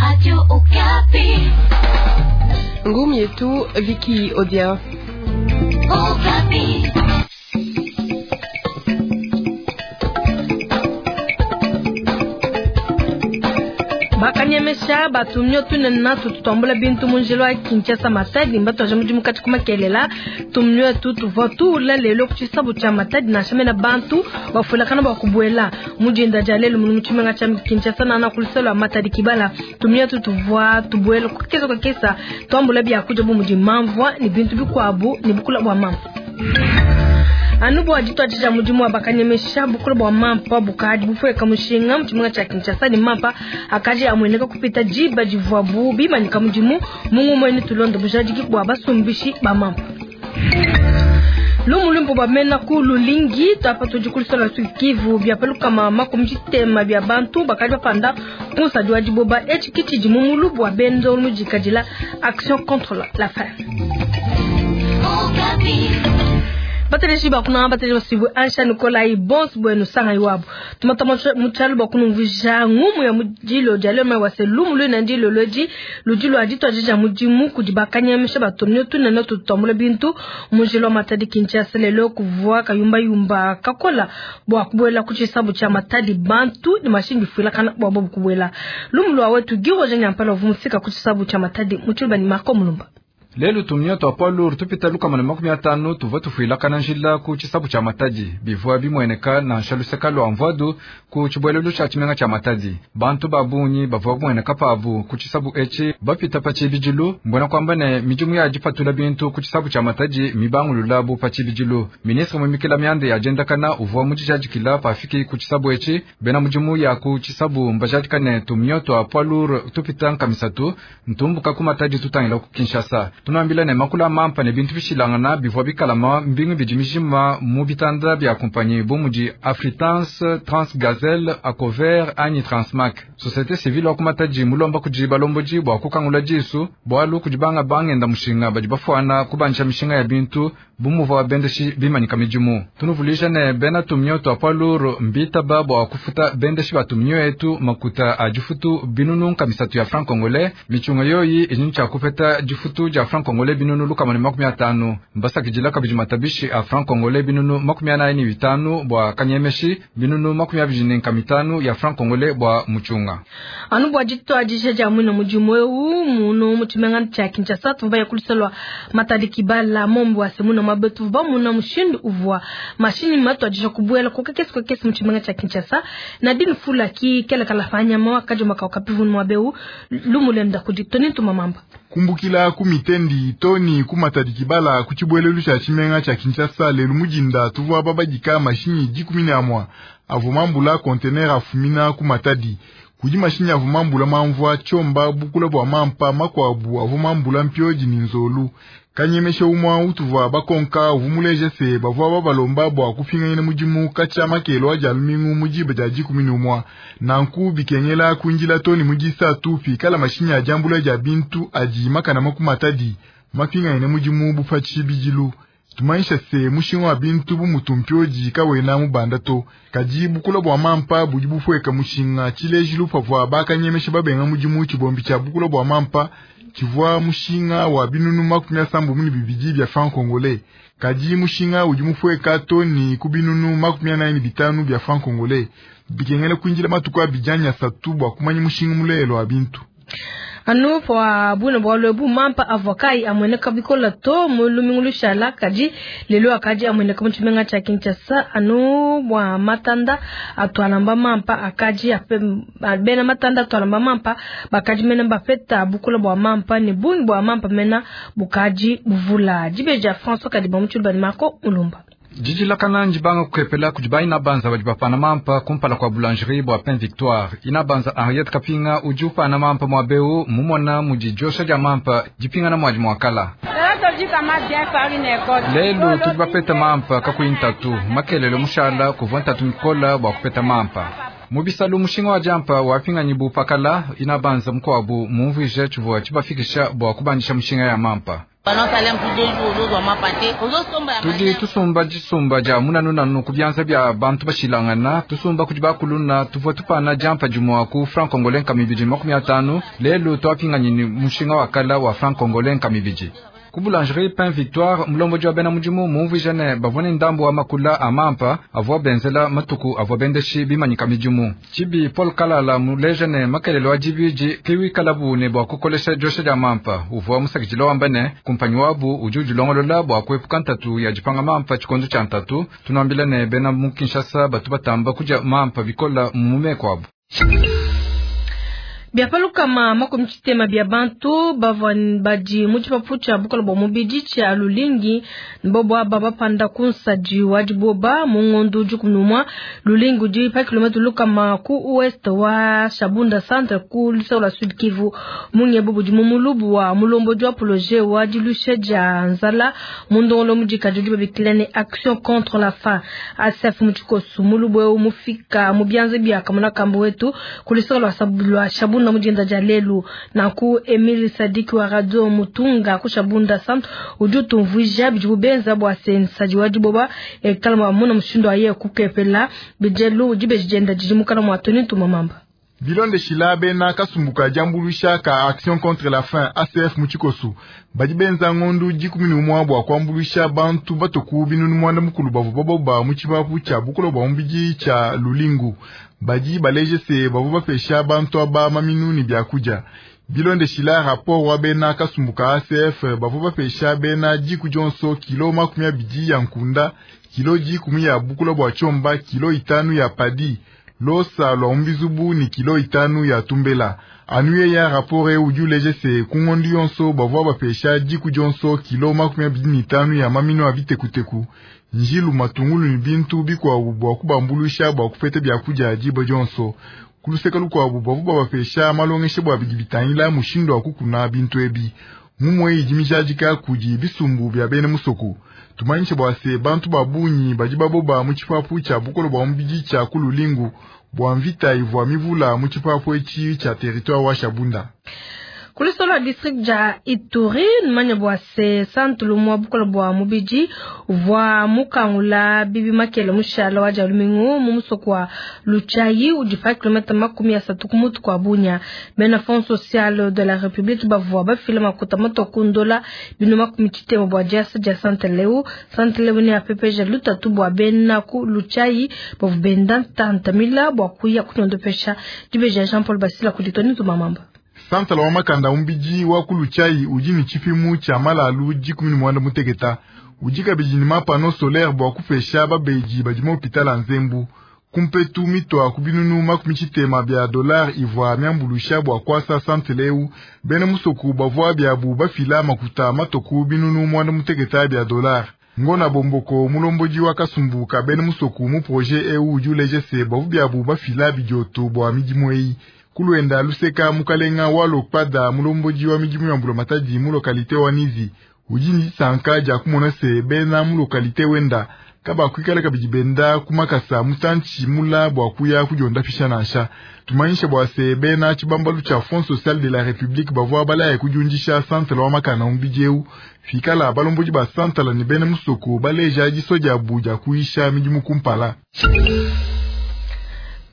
Radio Okapi. Ngumi yetu Vicky Odia. Okapi. Bakanyemesha batumio tunene tutambula bintu munjila wa Kinshasa Matadi mbatwaje mudimu kati kumakelela tumio tu tuvua tuula lelo ku tshisabu tshia Matadi nansha mena bantu bafuilakana bua kubuela mujinda dia lelo munu mutshimenga tshia Kinshasa nana kuluselo lua Matadi kibala tumio tu tuvua tubuela kukesa kukesa tuambula biakudia bu mudi mamvua ni bintu bikuabu ni bukula bua mamvua. Anu bua dituadija mudimu wa bakanyemesha bukula bua mampa bukadi bufueka mushinga mu tshimenga tshia Kinshasa ne mampa akadi amueneka kupita diba divuabu bimanyika mudimu mu ngumue tulonda bujadiki bua basumbishi ba mampa. Lumu lumbu bamena ku lulingi twapa tudi kulusala Sud-Kivu bia palukama makumi tshitema bia bantu bakadi bapanda kunsadi wa diboba etshi kitshidi mu mulubu wa benzo mudikadila action contre la faim. Bateleji bakuna bateleji basibu ansha Nikolai bons bueno sanga iwabo tumata mutshalu bakunumvuja ngumu ya mudilo dia lema wase lumu lwina ndilo lweji ludilo aditwa mudimu kudi bakanyamisha batomnyo tunene tutambula bintu mujilo wa Matadi Kinshasa lelo kuvua kayumba yumba kakola bwa kubuela ku tshisabu tshia Matadi bantu ni mashingi fuila kana bwa bobu kubuela lumu lwa wetu giroje nyampala vumufika ku tshisabu tshia Matadi mutshilu ni Marco Mulumba. Lelu tumio twa poids lourd tupita lukama na 50 tuvua tufuilakana njila ku tshisabu tshia Matadi bivua bimueneka nansha luseka lua mvuadu ku tshibuelelu tshia tshimenga tshia Matadi. Bantu ba bungi bavua kumueneka pabu ku tshisabu etshi bapita pa tshibidilu mbona kwamba ne midimu ya dipatula bintu ku tshisabu tshia Matadi mibangulula bu pa tshibidilu. Ministre muimikila mianda ya diendakana uvua mudijadikila pafiki ku tshisabu etshi bena mudimu ya ku tshisabu mbajadikane tumio twa poids lourd tupita nkamisatu ntumbuka ku Matadi tutangila ku Kinshasa. Tunambila ne makula mampa ne bintu bishilangana bivua bikalama mbingu bidi mijima mu bitanda bia kumpanyi bu mudi Afritrans, Transgazelle, Acover anyi Transmac. Société civile wa ku Matadi mulomba kudi balombodi bua kukangula disu bualu kudi banga bangenda mushinga badi bafuana kubanisha mishinga ya bintu bu muvua bendeshi bimanyika midimu. Tunuvulisha ne bena tumio twa poids lourd mbitaba bua kufuta bendeshi ba tumio etu makuta a difutu binunu nkamisatu ya franc congolais michunga yoyi ijini tshia kupeta difutu dia franc congolais binunu lukama ne 50 mbasakidila kabidi matabishi a franc congolais binunu 45 bua kanyemeshi binunu 25 ya franc congolais bua muchunga. Anu bua dituadija dia mwina mudimu eu muno mu tshimenga tshia Kinshasa tuvua ya kulisalwa Matadi kibala mombo wa semuna mabetu bamuna mushindu uvua mashinyi matuadija kubuela kokekesi kokekesi mu tshimenga tshia Kinshasa na dini fula ki kela kalafanya mwa kajuma ka kapivunu mwabeu lumulenda kudi toni tumamamba. Kumbukila ku mitendi toni ku Matadi kibala ku tshibuelelu tshia tshimenga tshia Kinshasa lelu mujinda tuvua babadika mashinyi 11 avumambula conteneur afumina ku Matadi. Kudi mashinyi avumambula mamvua tshomba bukula bua mampa makwabu avumambula mpioji ni nzolu. Kanyemesha umwa utuvua bakonka uvumuleje se bavua babalomba bua kupinganyina mudimu katshia makelo aja lumingu mujiba dia 11 nanku bikengela kunjila toni mujisa tupi kala mashinyi ajambula ja bintu aji makana makumatadi mapinganyina mudimu bupachi bijilu. Tumaisha se mushinga wa bintu bu mutumpioji kawena mubanda to kaji bukula bua mampa budi bufueka mushinga tshilejilu pavua bakanyemesha babenga mudimu tshibombi tshia bukula bua mampa tshivua mushinga wa binunu 72 bia franc congolais kaji mushinga udi mufueka toni ku binunu 45 bia franc congolais bikengela kuinjila matuku abijanya satu bua kumanya mushinga mulelo wa bintu. Anu pa buna bua lwebu mampa avokai amweneka bikola to mulumingu lushala kaji lelo akaji amweneka mutshimenga tshia Kinshasa anu bua matanda atwalamba mampa akaji ape bena matanda atwalamba mampa bakaji mena bapeta bukula bua mampa ne bungi bua mampa mena bukaji buvula dibeja François Kadiba mutshulu Marco Mulumba. Jijilakana njibanga kukepela kudi inabanza badi bapana mampa kumpala kwa boulangerie bua Pain Victoire. Inabanza Henriette Kapinga udi upana mampa mwabeu mumona mudi josha dia mampa dipingana mwadi mwakala. Lelu tudi bapeta mampa kakuyi ntatu makelele mushala kuvua ntatu mikola bua kupeta mampa. Mu bisalu mushinga wa diampa wapinganyi bu pakala inabanza mukuabu mumvuije tshivua tshibafikisha bua kubandisha mushinga ya mampa. Tudi tusumba disumba dia munanunanu ku bianza bia bantu bashilangana, tusumba kudi bakuluna tuvua tupana diampa dimua ku franc congolais nkama ibidi 50, lelu twapinganyi ni mushinga wa kala wa franc congolais nkama ibidi. Ku boulangerie Pain Victoire, mulombodi wa bena mudimu mumvuije ne bavua ne ndambu wa makula a mampa avua benzela matuku avua bendeshi bimanyika midimu. Tshibi Paul Kalala muleje ne makelelo wa dibidi kiwikalabu ne bua kukolesha diosha dia mampa. Uvua musakidila wamba ne kumpanyi wabu udi udilongolola bua kuepuka ntatu ya dipanga mampa tshikondo tshia ntatu. Tunuambila ne bena mu Kinshasa batu batamba kudia mampa bikola mu meko abu. Biapalukama 60 bia bantu bavua badi mu tshipapu tshia bukola bua mubidi tshia Lulingi mbobo aba bapanda ku nsadi wa diboba mu ngondo 11 Lulingi udi pa kilomètre lukama ku ouest wa Shabunda centre ku luseke lua Sud Kivu. Munyebu budi mu mulubu wa mulombodi wa projet wa dilusha dia nzala mu ndongolo mudikadi udi babikila ne action contre la faim ASF mu tshikosu mulubu eu mufika mu bianza bia kamuna kambu wetu ku luseke lua Shabunda mujinda dia lelu. Nanku Emile Sadiki wa radio Mutunga ku Shabunda centre udi utumvuija bidi bubenza bua sensadi wa diboba ekalama muna mushindu aye kukepela bijelu udi bejenda didi mukana mwa Tony Tumamamba. Bilonde shila bena kasumbuka diambuluisha ka Action contre la faim ACF mu tshikosu badi benza ngondu 11 bua kuambuluisha bantu batoku binunu mwanda mukulu bavua baboba mu tshipapu tshia bukola bua mubidi tshia Lulingu. Badi baleje se bavua bapesha bantu aba maminu ne biakudia. Bilonde shila rapport wa bena kasumbuka ACF bavua bapesha bena diku dionso kilo 20 ya nkunda, kilo 10 ya bukola bua tshomba, kilo 5 ya padi, losa lwa umbizubu ni kilo 5 ya tumbela. Anuye ya rapore udi uleje se kungondi yonso bavua bapesha diku dionso kilo 25 ya mamino ya bitekuteku, njilu matungulu ni bintu bikwabu bua kubambulusha bua kupeta biakudia diba dionso. Kuluseka lukwabu bavua babapesha malongeshe bua bidi bitangila mushindu wa kukuna bintu ebi. Mumwe idi mijadika kudi bisumbu bia bena musoko. Tumanyishe bua se bantu babunyi badi baboba mu tshipapu tshia bukolo bua mubidi tshia ku Lulingu bua mvita ivua mivula mu tshipapu etshi tshia territoire wa Shabunda. Kulisolo district ja Ituri manya bua se santulu mwa bukola bua mubidi uvua mukangula bibi makele mushala wa jalumingu mu musoko wa Luchayi udi pa kilomètre 30 ku mutu kwa Bunya. Bena Fonds social de la République bavua bafila makuta matokundola bino 60 bua diasa dia Santeleu. Santeleu ne apepeja lutatu bua bena ku Luchayi bavu benda tantamila bua kuya kunondopesha dibeja Jean Paul Basila kuditoni tumamamba. Santala wa makanda umbiji wa ku Luchayi udi ni tshipimu tshia malalu 16 udi kabidi ni mapano solaire bua kupesha babeji badi mu hôpital ya Nzembu. Kumpetu mitwa ku binunu 60 bia dollar ivua miambulusha bua kwasa santeleu bena musoku bavua biabu bafila makuta matoku binunu 16 bia dollar. Ngona bomboko mulombodi wa kasumbuka bena musoku mu projet eu udi uleje se bavu biabu bafila bidioto bua midimu eyi. Kulwenda luseka mukalenga wa lokpada mulombodi wa midimu ya mbulamatadi mu lokalite wa Nizi udi ni sanka dia kumona se bena mu lokalite wenda kaba kuikala kabidi benda kumakasa mutanchi mula bua kuya kudionda fisha nansha. Tumanyisha bua se bena tshibambalu tshia Fonds social de la République bavua balaya kudiundisha santala wa makana umbidi eu fikala balombodi ba santala ne bena musoko baleja diso dia bu dia kuisha midimu kumpala.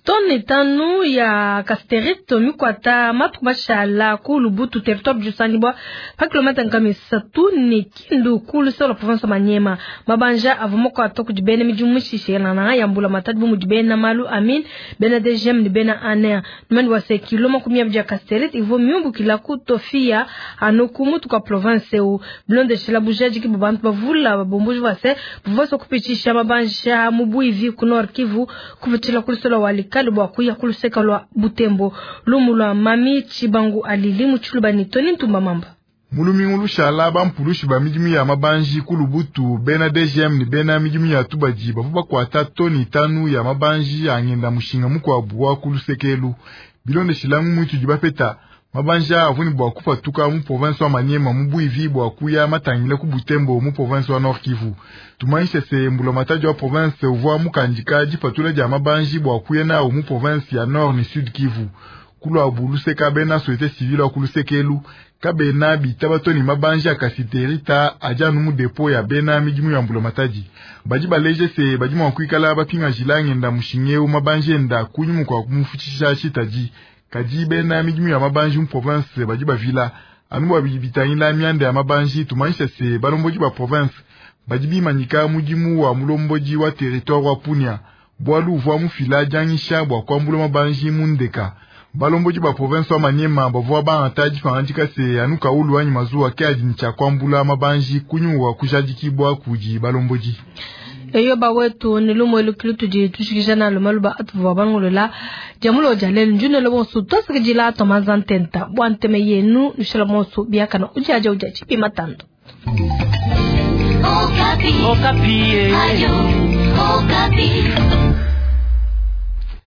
Tone tanu ya casterite mikwata matuku mashala ku Lubutu territoire jusangibwa pa kilomètre 3 ni Kindu ku luseke lua province Maniema. Mabanja avua makuata kudi bena midimu mishishelana ya mbula matadi bu mudi bena malu amin bena DGM ni bena ANR. Numani wa se kilo 20 ya casterite ivua miumbukila ku Tofia anu ku mutu kwa province eu. Bilondeshela bujadiki bu bantu bavula babombuji wa se buvua kupitisha mabanja mu Buivi ku Nord Kivu kupitshila ku luseke lua Walikale bua kuya ku luseke lua Butembo. Lumu lua Mami Chibangu alili mu Tshiluba ni Tony Ntumba Mamba. Mulumingu lushala bampulushi ba midimu ya mabanji ku Lubutu bena DGM ni bena midimu ya tubadi bavua bakuata toni 5 ya mabanji angenda mushinga mukwabu wa ku lusekelu. Bilondeshila mu muitu dibapeta Mabanji aa avua ne bua kupatuka mu province wa Maniema mu buivi bua kuya matangile ku Butembo mu province wa Nord Kivu. Tumanyishe se mbulamatadi wa province uvua mukandika dipatula dia mabanji bua kuya nawu mu province ya Nord ne Sud Kivu. Kuluabu luseka bena société civile wa ku luseke elu kabena bitaba to ne mabanji a kasiterita adi anu mu depo ya bena midimu ya mbulamatadi. Badi baleje se badi mua kuikala bapingajila ngenda mushinga eu mabanji enda kunyima kua kumufutshisha tshitadi. Kadi bena midimu ya mabanji mu province badi bavila anu bua bidi bitangila mianda ya mabanji. Tumanyishe se balombodi ba province badi bimanyika mudimu wa mulombodi wa territoire wa Punia bualu uvua mufila dianyisha bua kuambula mabanji mu ndeka. Balombodi ba province wa Maniema bavua bangata dipangadika se anu kaulu anyi mazuwa ke adi ne tshia kuambula mabanji kunyima kua kujadikibua kudi balombodi. Eyo bawetu ne lumue lukilu tudi tushikija nalu maluba atuvua balongolola dia mulo dia lelu njunelo bonso twasakidila twamanza ntenta bua nteme yenu nushala bonso biakana udiadia udia tshipi matando. Okapi. Okapi. Ayo, Okapi.